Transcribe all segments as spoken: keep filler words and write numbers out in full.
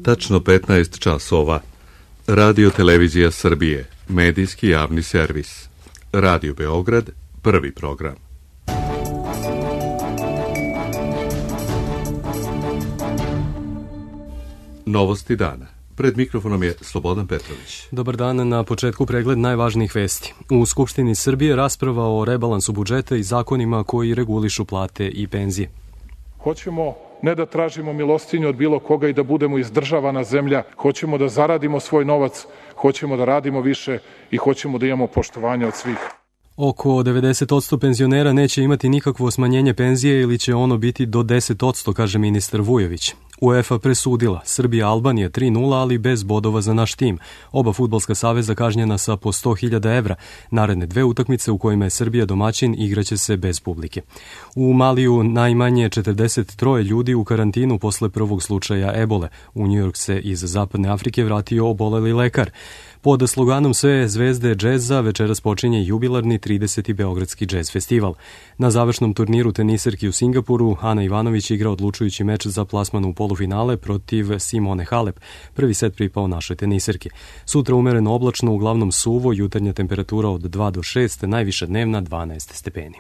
tačno petnaest časova. Radio Televizija Srbije, medijski javni servis. Radio Beograd, prvi program. Novosti dana. Pred mikrofonom je Slobodan Petrović. Dobar dan, na početku pregled najvažnijih vesti. U Skupštini Srbije rasprava o rebalansu budžeta i zakonima koji regulišu plate i penzije. Hoćemo ne da tražimo milostinju od bilo koga i da budemo izdržavana zemlja, hoćemo da zaradimo svoj novac, hoćemo da radimo više i hoćemo da imamo poštovanje od svih. Oko devedeset posto penzionera neće imati nikakvo smanjenje penzije ili će ono biti do deset posto, kaže ministar Vujović. UEFA presudila, Srbija-Albanija tri nula, ali bez bodova za naš tim. Oba fudbalska saveza kažnjena sa po sto hiljada evra. Naredne dve utakmice u kojima je Srbija domaćin igraće se bez publike. U Maliju najmanje četrdeset tri ljudi u karantinu posle prvog slučaja ebole. U Njujork se iz Zapadne Afrike vratio oboleli lekar. Pod sloganom Sve zvezde džeza večeras počinje jubilarni trideseti Beogradski džez festival. Na završnom turniru teniserki u Singapuru Ana Ivanović igra odlučujući meč za plasman u polufinale protiv Simone Halep. Prvi set pripao našoj teniserki. Sutra umereno oblačno, uglavnom suvo, jutarnja temperatura od dva do šest, najviša dnevna dvanaest stepeni.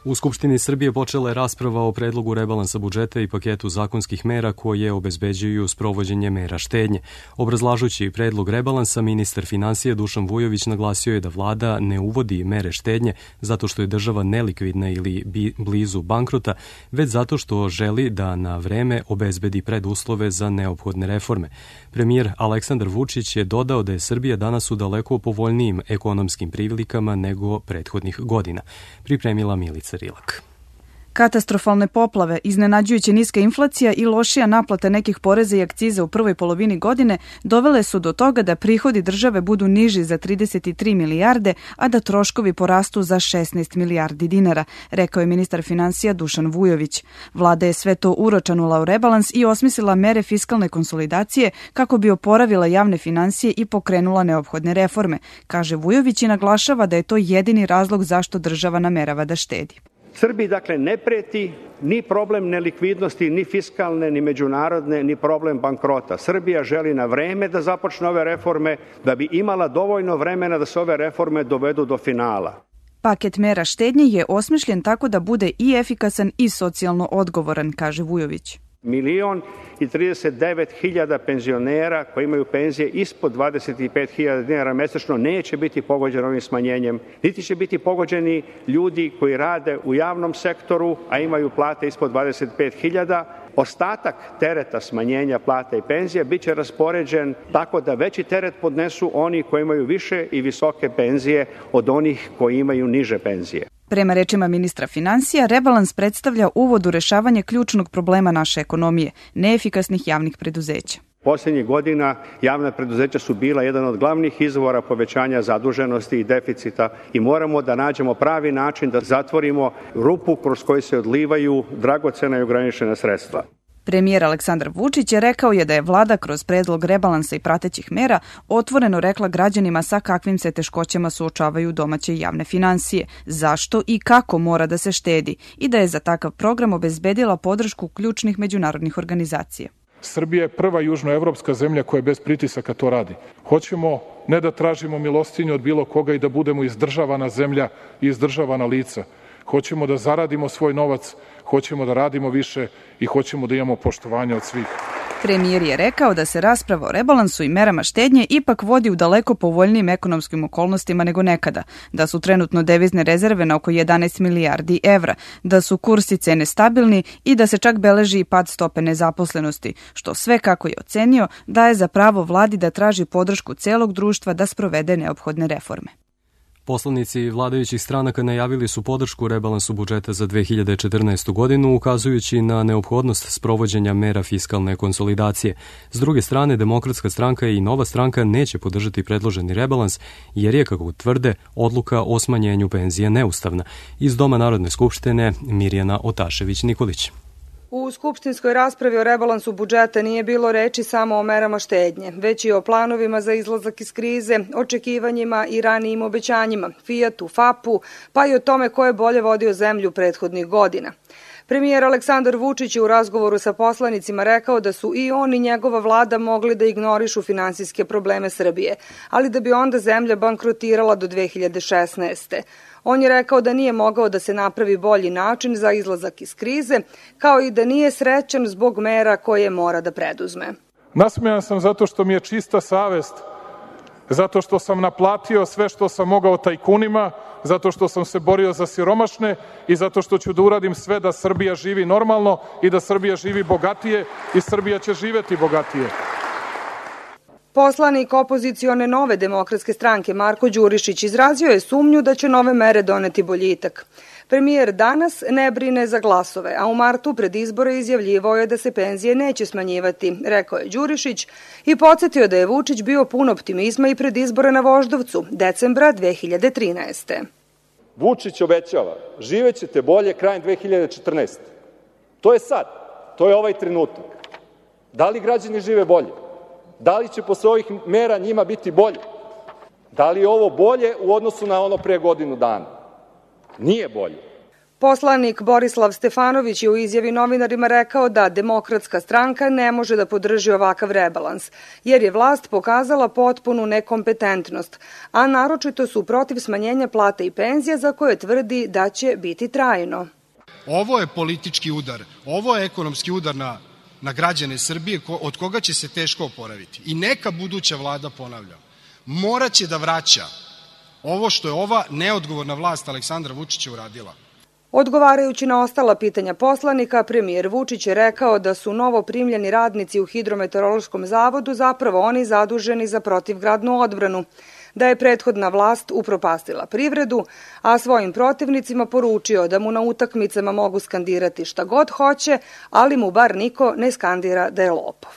U Skupštini Srbije počela je rasprava o predlogu rebalansa budžeta i paketu zakonskih mera koje obezbeđuju sprovođenje mera štednje. Obrazlažući predlog rebalansa, ministar finansija Dušan Vujović naglasio je da vlada ne uvodi mere štednje zato što je država nelikvidna ili blizu bankrota, već zato što želi da na vreme obezbedi preduslove za neophodne reforme. Premijer Aleksandar Vučić je dodao da je Srbija danas u daleko povoljnijim ekonomskim prilikama nego prethodnih godina. Pripremila Milica Rilak. Katastrofalne poplave, iznenađujuće niska inflacija i lošija naplata nekih poreza i akciza u prvoj polovini godine dovele su do toga da prihodi države budu niži za trideset tri milijarde, a da troškovi porastu za šesnaest milijardi dinara, rekao je ministar finansija Dušan Vujović. Vlada je sve to uročanula u rebalans i osmislila mere fiskalne konsolidacije kako bi oporavila javne finansije i pokrenula neophodne reforme, kaže Vujović i naglašava da je to jedini razlog zašto država namerava da štedi. Srbiji, dakle, ne preti ni problem nelikvidnosti, ni fiskalne, ni međunarodne, ni problem bankrota. Srbija želi na vreme da započne ove reforme, da bi imala dovoljno vremena da se ove reforme dovedu do finala. Paket mera štednje je osmišljen tako da bude i efikasan i socijalno odgovoran, kaže Vujović. Milion i trideset devet hiljada penzionera koji imaju penzije ispod dvadeset pet hiljada dinara mesečno neće biti pogođeni ovim smanjenjem, niti će biti pogođeni ljudi koji rade u javnom sektoru, a imaju plate ispod dvadeset pet hiljada. Ostatak tereta smanjenja plata i penzija biće raspoređen tako da veći teret podnesu oni koji imaju više i visoke penzije od onih koji imaju niže penzije. Prema rečima ministra finansija, rebalans predstavlja uvod u rešavanje ključnog problema naše ekonomije, neefikasnih javnih preduzeća. Poslednjih godina javna preduzeća su bila jedan od glavnih izvora povećanja zaduženosti i deficita i moramo da nađemo pravi način da zatvorimo rupu kroz koju se odlivaju dragocena i ograničena sredstva. Premijer Aleksandar Vučić je rekao je da je vlada kroz predlog rebalansa i pratećih mera otvoreno rekla građanima sa kakvim se teškoćama suočavaju domaće javne finansije, zašto i kako mora da se štedi i da je za takav program obezbedila podršku ključnih međunarodnih organizacija. Srbija je prva južnoevropska zemlja koja bez pritisaka to radi. Hoćemo ne da tražimo milostinju od bilo koga i da budemo izdržavana zemlja i izdržavana lica. Hoćemo da zaradimo svoj novac, hoćemo da radimo više i hoćemo da imamo poštovanje od svih. Premijer je rekao da se rasprava o rebalansu i merama štednje ipak vodi u daleko povoljnijim ekonomskim okolnostima nego nekada, da su trenutno devizne rezerve na oko jedanaest milijardi evra, da su kursi cene stabilni i da se čak beleži i pad stope nezaposlenosti, što sve, kako je ocenio, daje za pravo vladi da traži podršku celog društva da sprovede neophodne reforme. Poslanici vladajućih stranaka najavili su podršku rebalansu budžeta za dve hiljade četrnaestu godinu, ukazujući na neophodnost sprovođenja mera fiskalne konsolidacije. S druge strane, Demokratska stranka i Nova stranka neće podržati predloženi rebalans, jer je, kako tvrde, odluka o smanjenju penzija neustavna. Iz Doma Narodne skupštine, Mirjana Otašević-Nikolić. U skupštinskoj raspravi o rebalansu budžeta nije bilo reči samo o merama štednje, već i o planovima za izlazak iz krize, očekivanjima i ranijim obećanjima, Fijatu, Fapu, pa i o tome ko je bolje vodio zemlju prethodnih godina. Premijer Aleksandar Vučić je u razgovoru sa poslanicima rekao da su i on i njegova vlada mogli da ignorišu finansijske probleme Srbije, ali da bi onda zemlja bankrotirala do dve hiljade šesnaeste. On je rekao da nije mogao da se napravi bolji način za izlazak iz krize, kao i da nije srećan zbog mera koje mora da preduzme. Nasmejan sam zato što mi je čista savest, zato što sam naplatio sve što sam mogao tajkunima, zato što sam se borio za siromašne i zato što ću da uradim sve da Srbija živi normalno i da Srbija živi bogatije i Srbija će živeti bogatije. Poslanik opozicione Nove demokratske stranke Marko Đurišić izrazio je sumnju da će nove mere doneti boljitak. Premijer danas ne brine za glasove, a u martu pred izbore izjavljivao je da se penzije neće smanjivati, rekao je Đurišić i podsjetio da je Vučić bio pun optimizma i pred izbore na Voždovcu, decembra dve hiljade trinaeste. Vučić obećava, živećete bolje krajem dve hiljade četrnaeste. To je sad, to je ovaj trenutak. Da li građani žive bolje? Da li će posle ovih mera njima biti bolje? Da li je ovo bolje u odnosu na ono pre godinu dana? Nije bolje. Poslanik Borislav Stefanović je u izjavi novinarima rekao da Demokratska stranka ne može da podrži ovakav rebalans, jer je vlast pokazala potpunu nekompetentnost, a naročito su protiv smanjenja plata i penzija za koje tvrdi da će biti trajno. Ovo je politički udar, ovo je ekonomski udar na, na građane Srbije od koga će se teško oporaviti. I neka buduća vlada, ponavljam, moraće da vraća ovo što je ova neodgovorna vlast Aleksandra Vučića uradila. Odgovarajući na ostala pitanja poslanika, premijer Vučić je rekao da su novo primljeni radnici u Hidrometeorološkom zavodu zapravo oni zaduženi za protivgradnu odbranu, da je prethodna vlast upropastila privredu, a svojim protivnicima poručio da mu na utakmicama mogu skandirati šta god hoće, ali mu bar niko ne skandira da je lopov.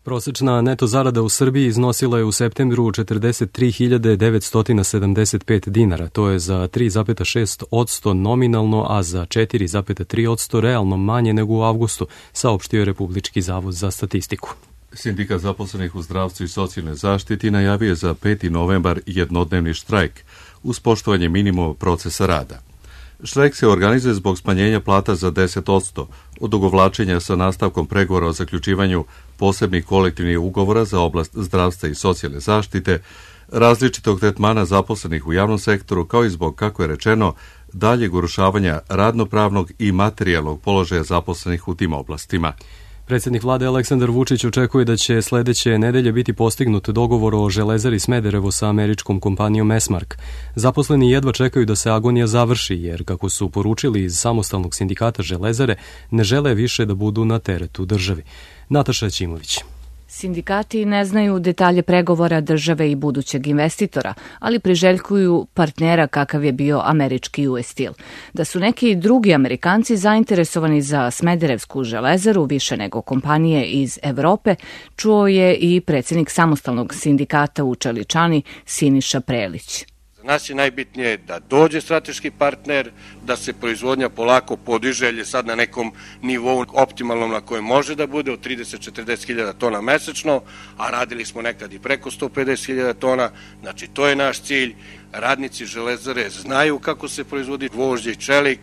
Prosečna neto zarada u Srbiji iznosila je u septembru četrdeset tri hiljade devetsto sedamdeset pet dinara, to je za tri zarez šest posto nominalno, a za četiri zarez tri posto realno manje nego u avgustu, saopštio je Republički zavod za statistiku. Sindikat zaposlenih u zdravstvu i socijalnoj zaštiti najavio je za peti novembar jednodnevni štrajk uz poštovanje minimuma procesa rada. Štrajk se organizuje zbog smanjenja plata za deset posto, odugovlačenja sa nastavkom pregovora o zaključivanju posebnih kolektivnih ugovora za oblast zdravstva i socijalne zaštite, različitog tretmana zaposlenih u javnom sektoru, kao i zbog, kako je rečeno, daljeg urušavanja radnopravnog i materijalnog položaja zaposlenih u tim oblastima. Predsjednik vlade Aleksandar Vučić očekuje da će sledeće nedelje biti postignut dogovor o Železari Smederevo sa američkom kompanijom Esmark. Zaposleni jedva čekaju da se agonija završi, jer, kako su poručili iz samostalnog sindikata Železare, ne žele više da budu na teretu državi. Nataša Ćimović. Sindikati ne znaju detalje pregovora države i budućeg investitora, ali priželjkuju partnera kakav je bio američki U S Steel. Da su neki drugi Amerikanci zainteresovani za Smederevsku železaru više nego kompanije iz Evrope, čuo je i predsjednik samostalnog sindikata u Čeličani Siniša Prelić. Za nas je najbitnije da dođe strateški partner, da se proizvodnja polako podiže, jer je sad na nekom nivou optimalnom na kojem može da bude od trideset do četrdeset hiljada tona mesečno, a radili smo nekad i preko sto pedeset hiljada tona, znači to je naš cilj. Radnici Železare znaju kako se proizvodi gvožđe i čelik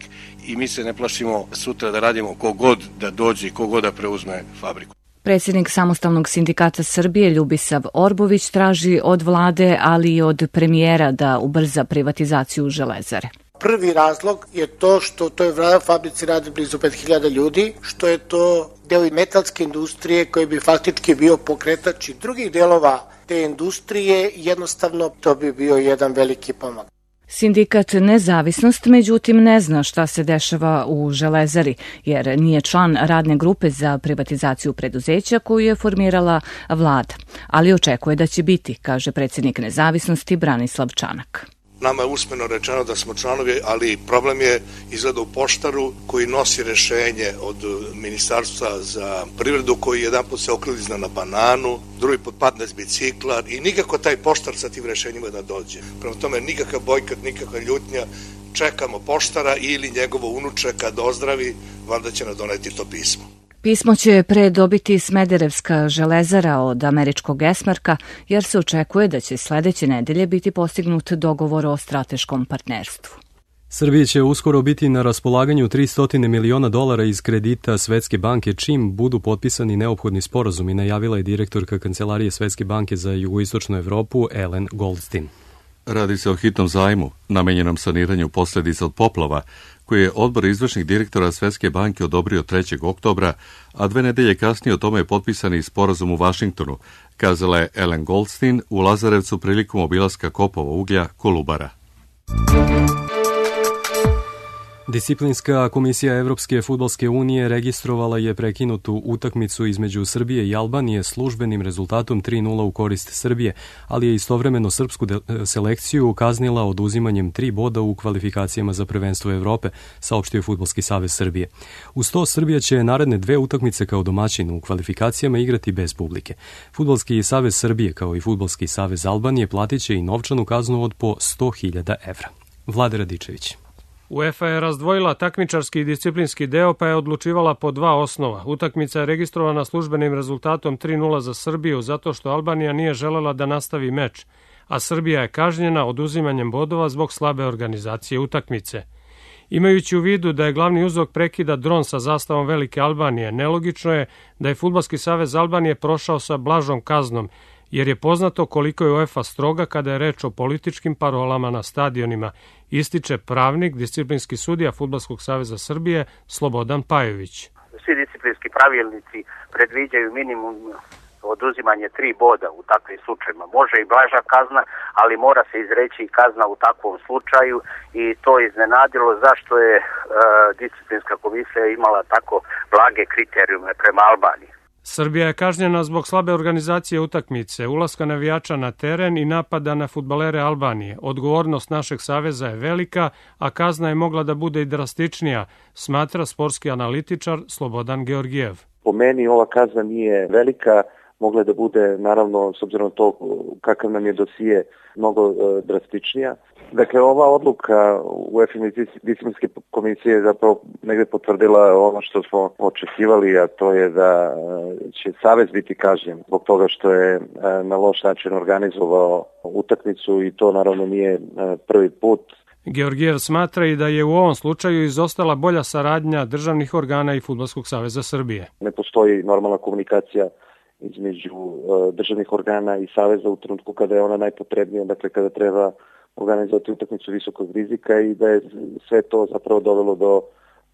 i mi se ne plašimo sutra da radimo kogod da dođe i kogod da preuzme fabriku. Predsjednik samostalnog sindikata Srbije Ljubisav Orbović traži od vlade, ali i od premijera da ubrza privatizaciju Železare. Prvi razlog je to što u toj fabrici radi blizu pet hiljada ljudi, što je to deo metalske industrije koji bi faktički bio pokretač i drugih delova te industrije, jednostavno to bi bio jedan veliki pomak. Sindikat Nezavisnost, međutim, ne zna šta se dešava u Železari, jer nije član radne grupe za privatizaciju preduzeća koju je formirala vlada, ali očekuje da će biti, kaže predsjednik Nezavisnosti Branislav Čanak. Nama je usmeno rečeno da smo članovi, ali problem je izgleda u poštaru koji nosi rešenje od Ministarstva za privredu, koji jedan put se oklizna na bananu, drugi put padne s bicikla i nikako taj poštar sa tim rešenjima da dođe. Prema tome nikakav bojkot, nikakva ljutnja, čekamo poštara ili njegovo unuče kad ozdravi, valjda će nam doneti to pismo. Pismo će pre dobiti Smederevska železara od američkog Esmarka, jer se očekuje da će sledeće nedelje biti postignut dogovor o strateškom partnerstvu. Srbiji će uskoro biti na raspolaganju tristo miliona dolara iz kredita Svetske banke čim budu potpisani neophodni sporazumi, najavila je direktorka Kancelarije Svetske banke za jugoistočnu Evropu Ellen Goldstein. Radi se o hitnom zajmu, namenjenom saniranju posljedica od poplava, koji je odbor izvršnih direktora Svetske banke odobrio trećeg oktobra, a dve nedelje kasnije o tome je potpisani sporazum u Vašingtonu, kazala je Ellen Goldstein u Lazarevcu prilikom obilaska kopova uglja Kolubara. Disciplinska komisija Evropske fudbalske unije registrovala je prekinutu utakmicu između Srbije i Albanije službenim rezultatom tri nula u korist Srbije, ali je istovremeno srpsku selekciju kaznila oduzimanjem tri boda u kvalifikacijama za prvenstvo Evrope, saopštio je Fudbalski savez Srbije. Uz to Srbija će naredne dve utakmice kao domaćin u kvalifikacijama igrati bez publike. Fudbalski savez Srbije kao i Fudbalski savez Albanije platit će i novčanu kaznu od po sto hiljada evra. Vlade Radičević. UEFA je razdvojila takmičarski i disciplinski deo pa je odlučivala po dva osnova. Utakmica je registrovana službenim rezultatom tri nula za Srbiju zato što Albanija nije želela da nastavi meč, a Srbija je kažnjena oduzimanjem bodova zbog slabe organizacije utakmice. Imajući u vidu da je glavni uzrok prekida dron sa zastavom Velike Albanije, nelogično je da je Fudbalski savez Albanije prošao sa blažom kaznom, jer je poznato koliko je UEFA stroga kada je reč o političkim parolama na stadionima, ističe pravnik, disciplinski sudija Fudbalskog saveza Srbije Slobodan Pajović. Svi disciplinski pravilnici predviđaju minimum oduzimanje tri boda u takvim slučajima. Može i blaža kazna, ali mora se izreći i kazna u takvom slučaju i to je iznenadilo zašto je e, disciplinska komisija imala tako blage kriterijume prema Albaniji. Srbija je kažnjena zbog slabe organizacije utakmice, ulaska navijača na teren i napada na fudbalere Albanije. Odgovornost našeg saveza je velika, a kazna je mogla da bude i drastičnija, smatra sportski analitičar Slobodan Georgijev. Po meni ova kazna nije velika, mogla da bude, naravno, s obzirom na to kakav nam je dosije, mnogo e, drastičnija. Dakle, ova odluka UEFA disciplinske komisije je zapravo negde potvrdila ono što smo očekivali, a to je da će savez biti kažnjen zbog toga što je na loš način organizovao utakmicu i to naravno nije prvi put. Georgijev smatra i da je u ovom slučaju izostala bolja saradnja državnih organa i Fudbalskog saveza Srbije. Ne postoji normalna komunikacija između državnih organa i saveza u trenutku kada je ona najpotrebnija, dakle kada treba organizovati utakmicu visokog rizika i da je sve to zapravo dovelo do,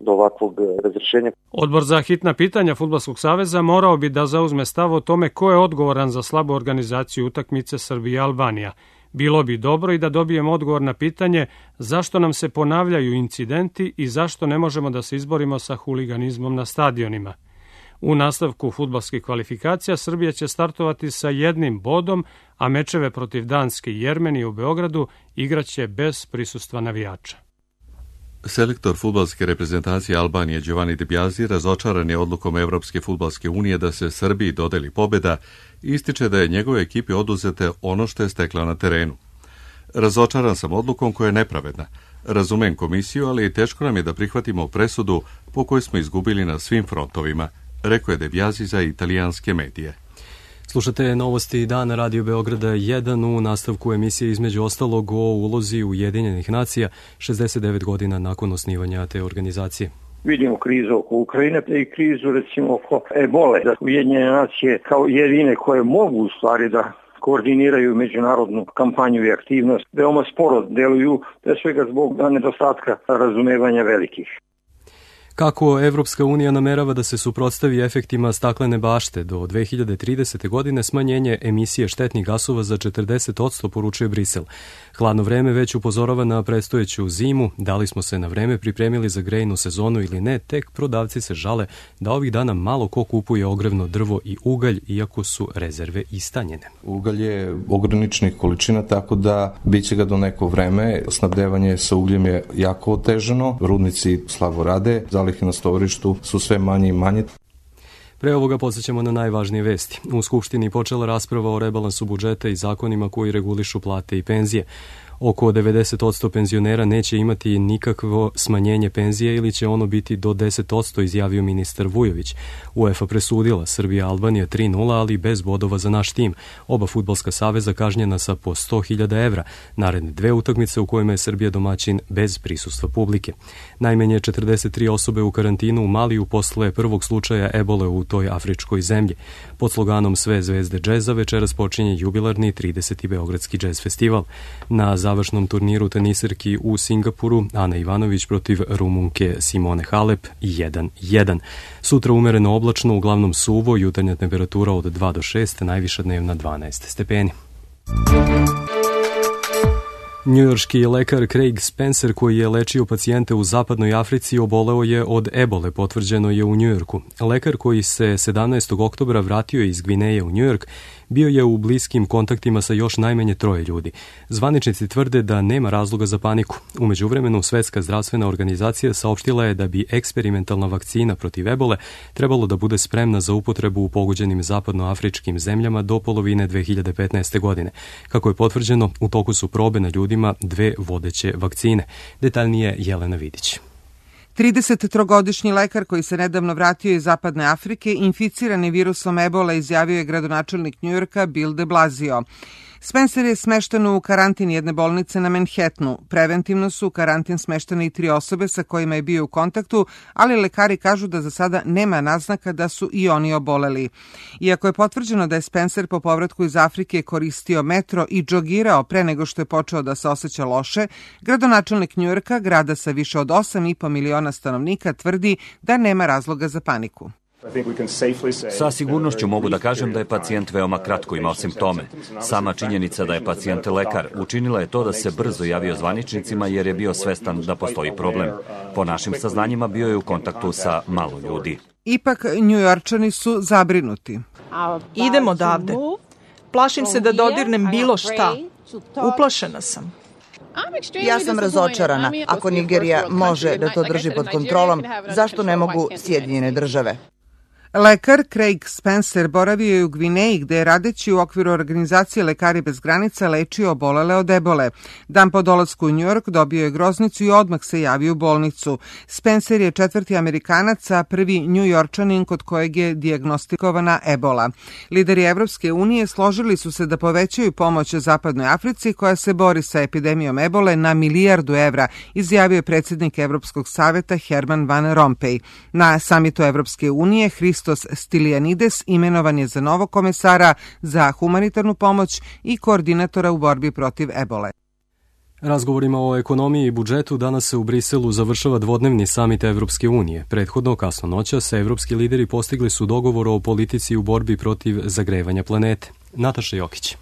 do ovakvog razrešenja. Odbor za hitna pitanja Fudbalskog saveza morao bi da zauzme stav o tome ko je odgovoran za slabu organizaciju utakmice Srbije i Albanija. Bilo bi dobro i da dobijemo odgovor na pitanje zašto nam se ponavljaju incidenti i zašto ne možemo da se izborimo sa huliganizmom na stadionima. U nastavku fudbalskih kvalifikacija Srbija će startovati sa jednim bodom, a mečeve protiv Danske i Jermenije u Beogradu igraće bez prisustva navijača. Selektor fudbalske reprezentacije Albanije Giovanni Di Biasi razočaran je odlukom Evropske fudbalske unije da se Srbiji dodeli pobeda i ističe da je njegove ekipi oduzete ono što je stekla na terenu. Razočaran sam odlukom koja je nepravedna. Razumem komisiju, ali i teško nam je da prihvatimo presudu po kojoj smo izgubili na svim frontovima, rekao je De Biasi za italijanske medije. Slušate novosti dana Radio Beograda jedan u nastavku emisije između ostalog o ulozi Ujedinjenih nacija šezdeset devet godina nakon osnivanja te organizacije. Vidimo krizu oko Ukrajine i krizu recimo oko ebole. Da Ujedinjene nacije kao jedine koje mogu u stvari da koordiniraju međunarodnu kampanju i aktivnost, veoma sporo deluju, pre svega zbog nedostatka razumevanja velikih. Kako Evropska unija namerava da se suprotstavi efektima staklene bašte do dve hiljade tridesete. godine smanjenje emisije štetnih gasova za četrdeset odsto poručuje Brisel. Hladno vreme već upozorava na predstojeću zimu, da li smo se na vreme pripremili za grejnu sezonu ili ne, tek prodavci se žale da ovih dana malo ko kupuje ogrevno drvo i ugalj, iako su rezerve istanjene. Ugalj je ograničenih količina, tako da biće ga do neko vreme. Snabdevanje sa ugljem je jako otežano, rudnici slabo rade, zalihe na stovarištu su sve manje i manje. Pre ovoga podsjećamo na najvažnije vesti. U Skupštini počela rasprava o rebalansu budžeta i zakonima koji regulišu plate i penzije. Oko devedeset posto penzionera neće imati nikakvo smanjenje penzije ili će ono biti do deset posto, izjavio ministar Vujović. UEFA presudila Srbija Albanija tri nula, ali bez bodova za naš tim. Oba fudbalska saveza kažnjena sa po sto hiljada evra. Naredne dve utakmice u kojima je Srbija domaćin bez prisustva publike. Najmanje četrdeset tri osobe u karantinu u Maliju posle prvog slučaja ebole u toj afričkoj zemlji. Pod sloganom Sve zvezde džeza večeras počinje jubilarni trideseti Beogradski džez festival. Na završnom turniru tenisirki u Singapuru Ana Ivanović protiv Rumunke Simone Halep jedan jedan. Sutra umereno oblačno, uglavnom suvo, jutarnja temperatura od dva do šest, najviša dnevna dvanaest stepeni. Njujorški lekar Craig Spencer, koji je lečio pacijente u zapadnoj Africi, oboleo je od ebole, potvrđeno je u Njujorku. Lekar koji se sedamnaestog oktobra vratio iz Gvineje u Njujork bio je u bliskim kontaktima sa još najmanje troje ljudi. Zvaničnici tvrde da nema razloga za paniku. U međuvremenu, Svetska zdravstvena organizacija saopštila je da bi eksperimentalna vakcina protiv ebole trebalo da bude spremna za upotrebu u pogođenim zapadnoafričkim zemljama do polovine dve hiljade petnaeste. godine. Kako je potvrđeno, u toku su probe na ljudima dve vodeće vakcine. Detaljnije Jelena Vidić. tridesettrogodišnji lekar koji se nedavno vratio iz Zapadne Afrike, inficiran je virusom ebola, izjavio je gradonačelnik Njujorka Bill de Blasio. Spencer je smešten u karantin jedne bolnice na Manhattanu. Preventivno su u karantin smeštene i tri osobe sa kojima je bio u kontaktu, ali lekari kažu da za sada nema naznaka da su i oni oboleli. Iako je potvrđeno da je Spencer po povratku iz Afrike koristio metro i džogirao pre nego što je počeo da se osjeća loše, gradonačelnik Njujorka, grada sa više od osam i po miliona stanovnika, tvrdi da nema razloga za paniku. Sa sigurnošću mogu da kažem da je pacijent veoma kratko imao simptome. Sama činjenica da je pacijent lekar učinila je to da se brzo javio zvaničnicima jer je bio svestan da postoji problem. Po našim saznanjima bio je u kontaktu sa malo ljudi. Ipak Njujorčani su zabrinuti. Idem odavde. Plašim se da dodirnem bilo šta. Uplašena sam. Ja sam razočarana. Ako Nigerija može da to drži pod kontrolom, zašto ne mogu Sjedinjene države? Lekar Craig Spencer boravio je u Gvineji, gde je radeći u okviru organizacije Lekari bez granica lečio obolele od ebole. Dan po dolasku u Njujork dobio je groznicu i odmah se javio u bolnicu. Spencer je četvrti Amerikanac, a prvi Njujorčanin kod kojeg je dijagnostikovana ebola. Lideri Evropske unije složili su se da povećaju pomoć Zapadnoj Africi koja se bori sa epidemijom ebole na milijardu evra, izjavio je predsjednik Evropskog saveta Herman Van Rompuy. Na samitu Evropske unije Hristos Stylianides imenovan je za novog komesara za humanitarnu pomoć i koordinatora u borbi protiv ebole. Razgovorima o ekonomiji i budžetu danas se u Briselu završava dvodnevni samit Evropske unije. Prethodno, kasno noćas, evropski lideri postigli su dogovor o politici u borbi protiv zagrevanja planete. Nataša Jokić.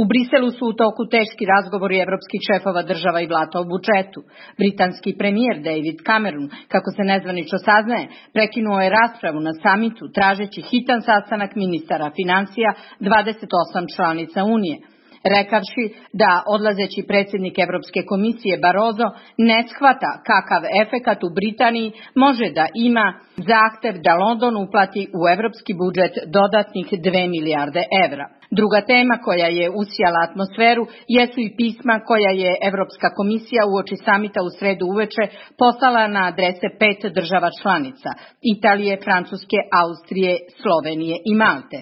U Briselu su u toku teški razgovori evropskih šefova država i vlada o budžetu. Britanski premijer David Cameron, kako se nezvanično saznaje, prekinuo je raspravu na samitu tražeći hitan sastanak ministara financija dvadeset osam članica Unije, rekavši da odlazeći predsjednik Evropske komisije Barroso ne shvata kakav efekat u Britaniji može da ima zahtev da London uplati u evropski budžet dodatnih dve milijarde evra. Druga tema koja je usijala atmosferu jesu i pisma koja je Evropska komisija uoči samita u sredu uveče poslala na adrese pet država članica: Italije, Francuske, Austrije, Slovenije i Malte,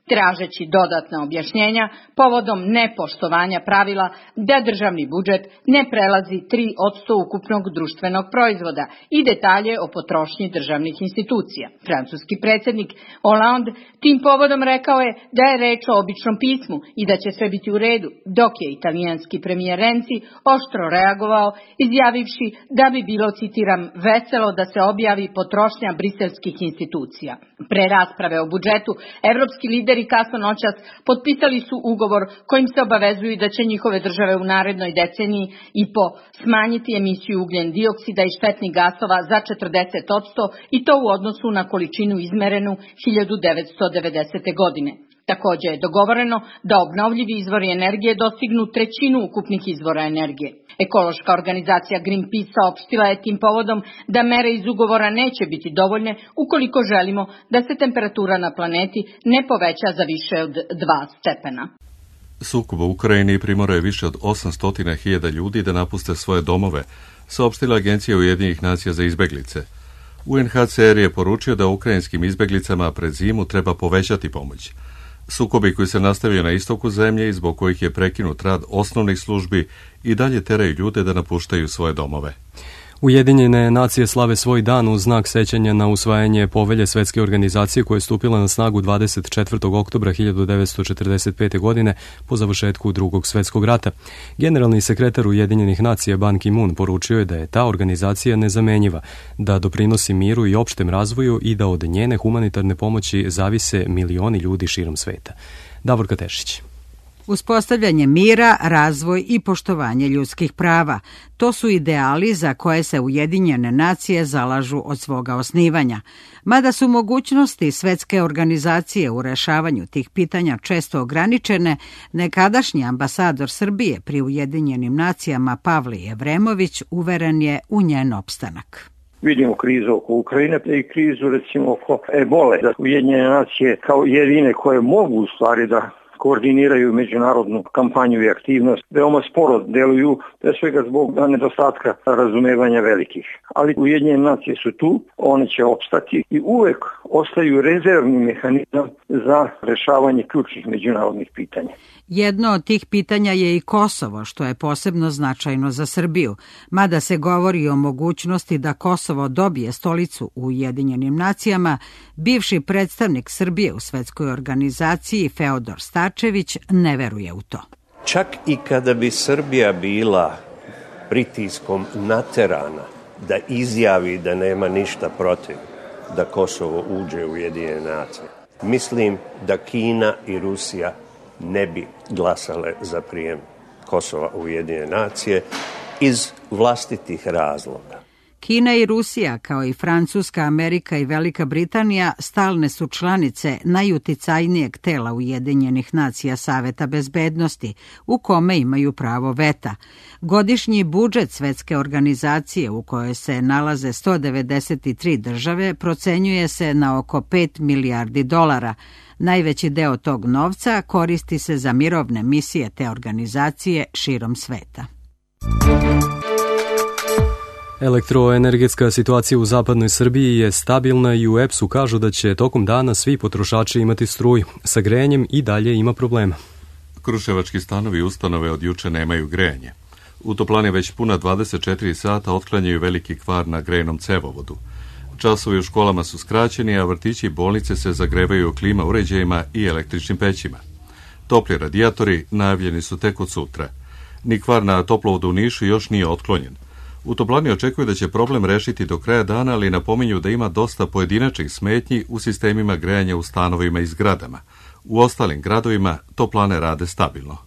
tražeći dodatna objašnjenja povodom nepoštovanja pravila da državni budžet ne prelazi tri posto ukupnog društvenog proizvoda i detalje o potrošnji državnih institucija. Francuski predsjednik Hollande tim povodom rekao je da je reč o običnom pismu i da će sve biti u redu, dok je italijanski premijer Renzi oštro reagovao, izjavivši da bi bilo, citiram, veselo da se objavi potrošnja briselskih institucija. Pre rasprave o budžetu, evropski lideri kasno noćas potpisali su ugovor kojim se obavezuju da će njihove države u narednoj deceniji i po smanjiti emisiju ugljen dioksida i štetnih gasova za četrdeset posto i to u odnosu na količinu izmerenu hiljadu devetsto devedesete. godine. Također je dogovoreno da obnovljivi izvori energije dostignu trećinu ukupnih izvora energije. Ekološka organizacija Greenpeace saopštila je tim povodom da mere iz ugovora neće biti dovoljne ukoliko želimo da se temperatura na planeti ne poveća za više od dva stepena. Sukob u Ukrajini primorao je više od osamsto hiljada ljudi da napuste svoje domove, saopštila Agencija Ujedinjenih nacija za izbeglice. U en ha ce er je poručio da ukrajinskim izbeglicama pred zimu treba povećati pomoć. Sukobi koji se nastavio na istoku zemlje i zbog kojih je prekinut rad osnovnih službi i dalje teraju ljude da napuštaju svoje domove. Ujedinjene nacije slave svoj dan u znak sećanja na usvajanje povelje Svetske organizacije koja je stupila na snagu dvadeset četvrtog oktobra hiljadu devetsto četrdeset pete. godine po završetku Drugog svetskog rata. Generalni sekretar Ujedinjenih nacija Ban Ki-moon poručio je da je ta organizacija nezamenjiva, da doprinosi miru i opštem razvoju i da od njene humanitarne pomoći zavise milioni ljudi širom sveta. Davorka Tešić. Uspostavljanje mira, razvoj i poštovanje ljudskih prava. To su ideali za koje se Ujedinjene nacije zalažu od svoga osnivanja. Mada su mogućnosti Svetske organizacije u rešavanju tih pitanja često ograničene, nekadašnji ambasador Srbije pri Ujedinjenim nacijama Pavle Jevremović uveren je u njen opstanak. Vidimo krizu oko Ukrajine i krizu recimo oko ebole. Da Ujedinjene nacije kao jedine koje mogu u stvari da koordiniraju međunarodnu kampanju i aktivnost, veoma sporo deluju, pre svega zbog nedostatka razumevanja velikih. Ali Ujedinjene nacije su tu, one će opstati i uvek ostaju rezervni mehanizam za rešavanje ključnih međunarodnih pitanja. Jedno od tih pitanja je i Kosovo, što je posebno značajno za Srbiju, mada se govori o mogućnosti da Kosovo dobije stolicu u Ujedinjenim nacijama. Bivši predstavnik Srbije u Svetskoj organizaciji Feodor Stačević ne veruje u to. Čak i kada bi Srbija bila pritiskom naterana da izjavi da nema ništa protiv da Kosovo uđe u Ujedinjene nacije, mislim da Kina i Rusija ne bi glasale za prijem Kosova u Ujedinjene nacije iz vlastitih razloga. Kina i Rusija, kao i Francuska, Amerika i Velika Britanija, stalne su članice najuticajnijeg tela Ujedinjenih nacija Saveta bezbednosti, u kome imaju pravo veta. Godišnji budžet Svetske organizacije, u kojoj se nalaze sto devedeset tri države, procenjuje se na oko pet milijardi dolara. Najveći deo tog novca koristi se za mirovne misije te organizacije širom sveta. Elektroenergetska situacija u zapadnoj Srbiji je stabilna i u E P S-u kažu da će tokom dana svi potrošači imati struju. Sa grejanjem i dalje ima problema. Kruševački stanovi i ustanove od juče nemaju grejanje. U toplani već puna dvadeset četiri sata otklanjaju veliki kvar na grejnom cevovodu. Časovi u školama su skraćeni, a vrtići i bolnice se zagrevaju klima uređajima i električnim pećima. Topli radijatori najavljeni su tek od sutra. Ni kvar na toplovodu u Nišu još nije otklonjen. U toplani očekuju da će problem rešiti do kraja dana, ali napominju da ima dosta pojedinačnih smetnji u sistemima grejanja u stanovima i zgradama. U ostalim gradovima toplane rade stabilno.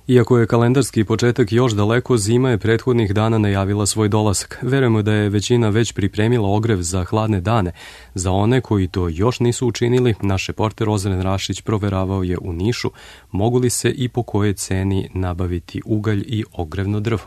Iako je kalendarski početak još daleko, zima je prethodnih dana najavila svoj dolazak. Verujemo da je većina već pripremila ogrev za hladne dane. Za one koji to još nisu učinili, naš reporter Ozren Rašić proveravao je u Nišu mogu li se i po kojoj ceni nabaviti ugalj i ogrevno drvo.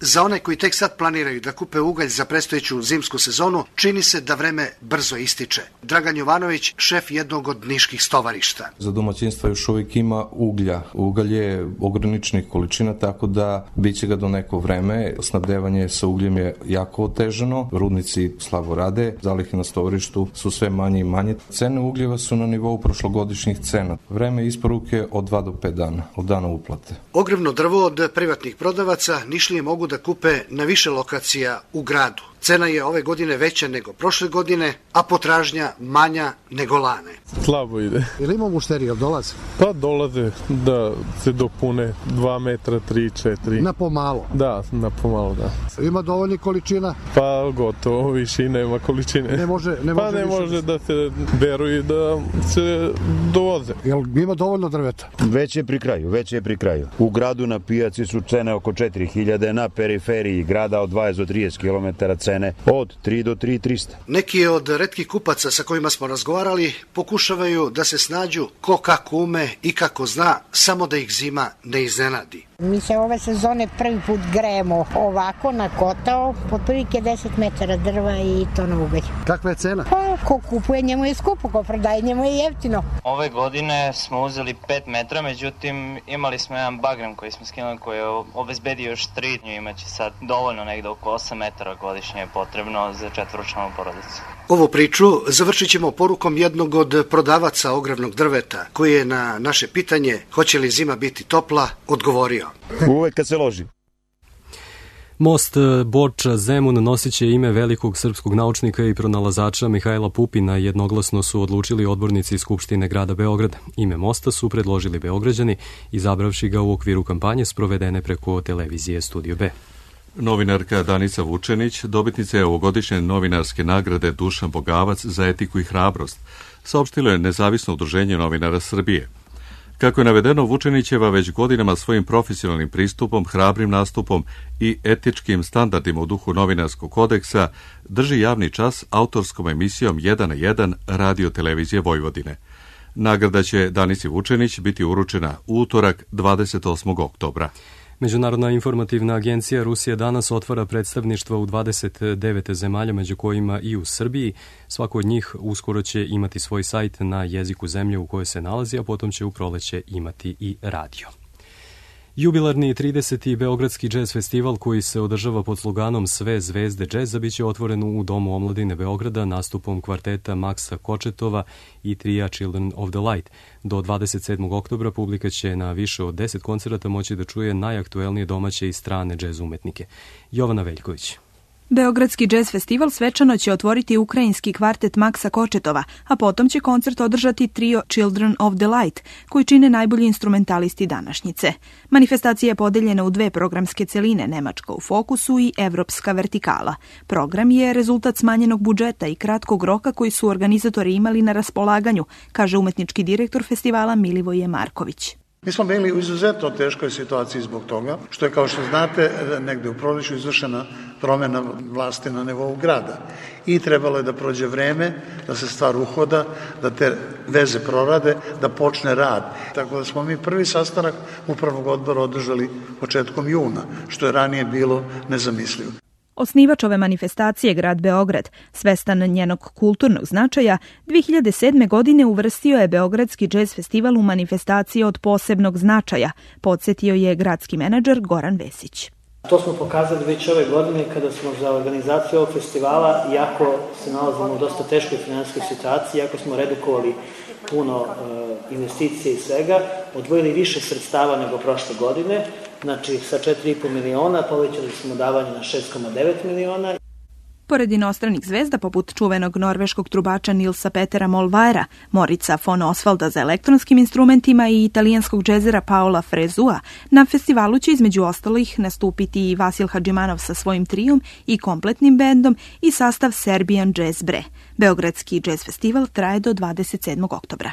Za one koji tek sad planiraju da kupe ugalj za predstojeću zimsku sezonu, čini se da vreme brzo ističe. Dragan Jovanović, šef jednog od niških stovarišta. Za domaćinstva još uvijek ima uglja. Ugalj je ograničenih količina, tako da bit će ga do neko vreme. Snabdevanje sa ugljem je jako otežano. Rudnici slabo rade, zalihe na stovarištu su sve manje i manje. Cene ugljeva su na nivou prošlogodišnjih cena. Vreme isporuke od dva do pet dana, od dana uplate. Ogrevno drvo od privatnih prodavaca Nišlije mogu da kupe na više lokacija u gradu. Cena je ove godine veća nego prošle godine, a potražnja manja nego lane. Slabo ide. Ili ima mušterija, dolaze? Pa dolaze da se dopune dva metra, tri, četiri. Na pomalo? Da, na pomalo, da. Ima dovoljni količina? Pa gotovo, više i nema količine. Ne može, ne može pa ne može da se beru i da se dovoze. Jel ima dovoljno drveta? Već je pri kraju, već je pri kraju. U gradu na pijaci su cene oko četiri hiljade, na periferiji grada od dvadeset do trideset kilometara cene od tri do tri hiljade trista. Neki od retkih kupaca sa kojima smo razgovarali pokušavaju da se snađu ko kako ume i kako zna, samo da ih zima ne iznenadi. Mi se ove sezone prvi put grejemo ovako na kotao, otprilike deset metara drva i to na ugalj. Kakva je cena? Pa, ko kupuje njemu je skupo, ko prodaje njemu je jeftino. Ove godine smo uzeli pet metra, međutim imali smo jedan bagrem koji smo skinuli koji je obezbedio još tri, imaće sad dovoljno negde oko osam metara godišnje je potrebno za četvoročlanu porodicu. Ovu priču završit ćemo porukom jednog od prodavaca ogrevnog drveta, koji je na naše pitanje hoće li zima biti topla, odgovorio. Uvek kad se loži. Most Borča-Zemun nosit će ime velikog srpskog naučnika i pronalazača Mihajla Pupina. Jednoglasno su odlučili odbornici Skupštine grada Beograda. Ime mosta su predložili Beograđani, izabravši ga u okviru kampanje sprovedene preko televizije Studio B. Novinarka Danica Vučenić dobitnica je ovogodišnje novinarske nagrade Dušan Bogavac za etiku i hrabrost, saopštilo je Nezavisno udruženje novinara Srbije. Kako je navedeno, Vučenićeva već godinama svojim profesionalnim pristupom, hrabrim nastupom i etičkim standardima u duhu novinarskog kodeksa drži javni čas autorskom emisijom jedan na jedan Radio televizije Vojvodine. Nagrada će Danici Vučenić biti uručena u utorak dvadeset osmog oktobra. Međunarodna informativna agencija Rusija danas otvara predstavništva u dvadeset devet zemalja, među kojima i u Srbiji. Svako od njih uskoro će imati svoj sajt na jeziku zemlje u kojoj se nalazi, a potom će u proleće imati i radio. Jubilarni trideseti Beogradski džez festival koji se održava pod sloganom Sve zvezde džeza biće otvoren u Domu omladine Beograda nastupom kvarteta Maksa Kočetova i trija Children of the Light. Do dvadeset sedmog oktobra publika će na više od deset koncerata moći da čuje najaktuelnije domaće i strane džez umetnike. Jovana Veljković. Beogradski džez festival svečano će otvoriti ukrajinski kvartet Maksa Kočetova, a potom će koncert održati trio Children of the Light, koji čine najbolji instrumentalisti današnjice. Manifestacija je podeljena u dve programske celine, Nemačka u fokusu i Evropska vertikala. Program je rezultat smanjenog budžeta i kratkog roka koji su organizatori imali na raspolaganju, kaže umetnički direktor festivala Milivoje Marković. Mi smo bili u izuzetno teškoj situaciji zbog toga, što je, kao što znate, negde u proleću izvršena promjena vlasti na nivou grada. I trebalo je da prođe vreme, da se stvar uhoda, da te veze prorade, da počne rad. Tako da smo mi prvi sastanak upravnog odbora održali početkom juna, što je ranije bilo nezamislivo. Osnivač ove manifestacije, grad Beograd, svestan njenog kulturnog značaja, dve hiljade sedme. godine uvrstio je Beogradski džez festival u manifestacije od posebnog značaja, podsjetio je gradski menadžer Goran Vesić. To smo pokazali već ove godine kada smo za organizaciju ovog festivala, iako se nalazimo u dosta teškoj finansijskoj situaciji, iako smo redukovali puno e, investicije i svega, odvojili više sredstava nego prošle godine. Znači, sa četiri i po miliona povećali smo davanje na šest zarez devet miliona. Pored inostranih zvezda, poput čuvenog norveškog trubača Nilsa Petera Molvajera, Morica von Osvalda za elektronskim instrumentima i italijanskog džezera Paola Frezua, na festivalu će između ostalih nastupiti i Vasil Hadžimanov sa svojim trijom i kompletnim bendom i sastav Serbian Jazz Bre. Beogradski džez festival traje do dvadeset sedmog oktobra.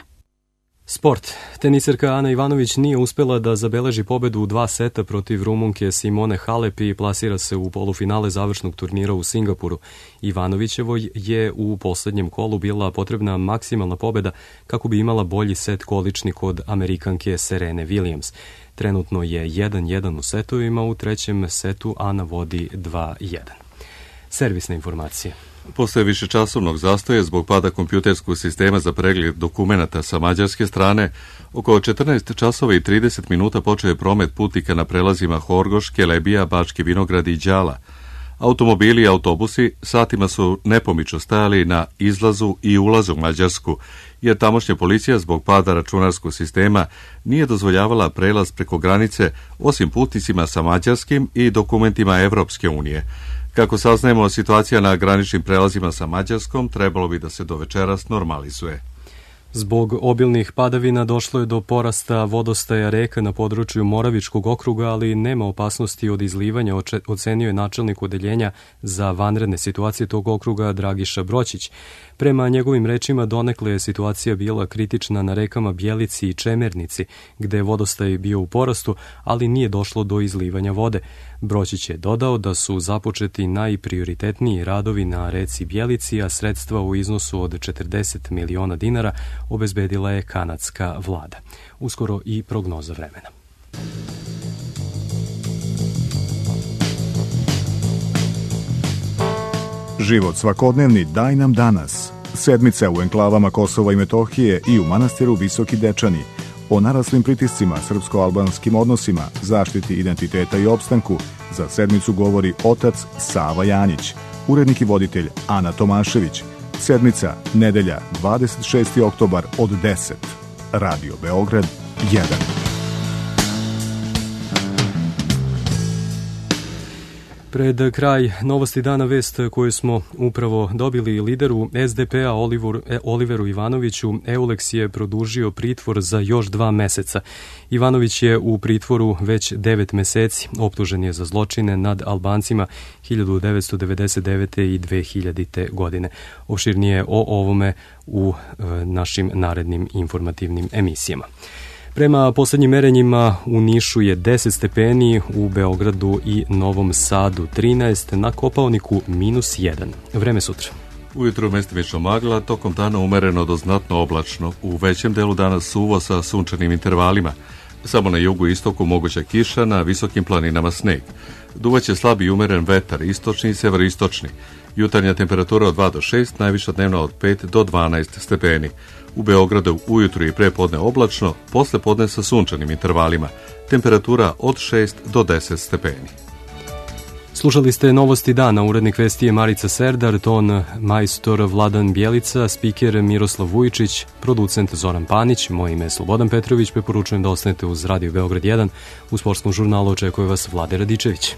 Sport. Teniserka Ana Ivanović nije uspela da zabeleži pobedu u dva seta protiv Rumunke Simone Halep i plasira se u polufinale završnog turnira u Singapuru. Ivanovićevoj je u poslednjem kolu bila potrebna maksimalna pobeda kako bi imala bolji set količni kod Amerikanke Serene Williams. Trenutno je jedan jedan u setovima, u trećem setu Ana vodi dva jedan. Servisne informacije. Posle višečasovnog zastoja zbog pada kompjuterskog sistema za pregled dokumenata sa mađarske strane, oko četrnaest časova i trideset minuta počeo je promet putnika na prelazima Horgoš, Kelebija, Bački Vinograd i Đala. Automobili i autobusi satima su nepomično stajali na izlazu i ulazu u Mađarsku, jer tamošnja policija zbog pada računarskog sistema nije dozvoljavala prelaz preko granice osim putnicima sa mađarskim i dokumentima Evropske unije. Kako saznajemo, situacija na graničnim prelazima sa Mađarskom trebalo bi da se do večeras normalizuje. Zbog obilnih padavina došlo je do porasta vodostaja reka na području Moravičkog okruga, ali nema opasnosti od izlivanja, ocenio je načelnik odeljenja za vanredne situacije tog okruga Dragiša Broćić. Prema njegovim rečima, donekle je situacija bila kritična na rekama Bjelici i Čemernici, gde je vodostaj bio u porastu, ali nije došlo do izlivanja vode. Broćić je dodao da su započeti najprioritetniji radovi na reci Bjelici, a sredstva u iznosu od četrdeset miliona dinara obezbedila je kanadska vlada. Uskoro i prognoza vremena. Život svakodnevni daj nam danas. Sedmica u enklavama Kosova i Metohije i u manastiru Visoki Dečani. O naraslim pritiscima, srpsko-albanskim odnosima, zaštiti identiteta i opstanku za sedmicu govori otac Sava Janjić, urednik i voditelj Ana Tomašević. Sedmica, nedelja, dvadeset šesti oktobar od deset. Radio Beograd jedan. Pred kraj novosti dana vest koju smo upravo dobili, lideru es de pe a Oliver, Oliveru Ivanoviću Euleks je produžio pritvor za još dva meseca. Ivanović je u pritvoru već devet meseci, optužen je za zločine nad Albancima hiljadu devetsto devedeset devete i dve hiljadite. godine. Opširnije o ovome u e, našim narednim informativnim emisijama. Prema poslednjim merenjima u Nišu je deset stepeni, u Beogradu i Novom Sadu trinaest, na Kopaoniku minus jedan. Vreme sutra. Ujutru mestimično magla, tokom dana umereno do znatno oblačno. U većem delu dana suvo sa sunčanim intervalima. Samo na jugu i istoku moguća kiša, na visokim planinama sneg. Duvaće slab i umeren vetar, istočni i severistočni. Jutarnja temperatura od dva do šest, najviša dnevna od pet do dvanaest stepeni. U Beogradu ujutru i prepodne oblačno, posle podne sa sunčanim intervalima. Temperatura od šest do deset stepeni. Slušali ste novosti dana, urednik vesti je Marica Serdar, ton majstor Vladan Bjelica, spiker Miroslav Vujičić, producent Zoran Panić, moje ime je Slobodan Petrović, preporučujem da ostanete uz Radio Beograd jedan. U sportskom žurnalu očekuje vas Vlade Radičević.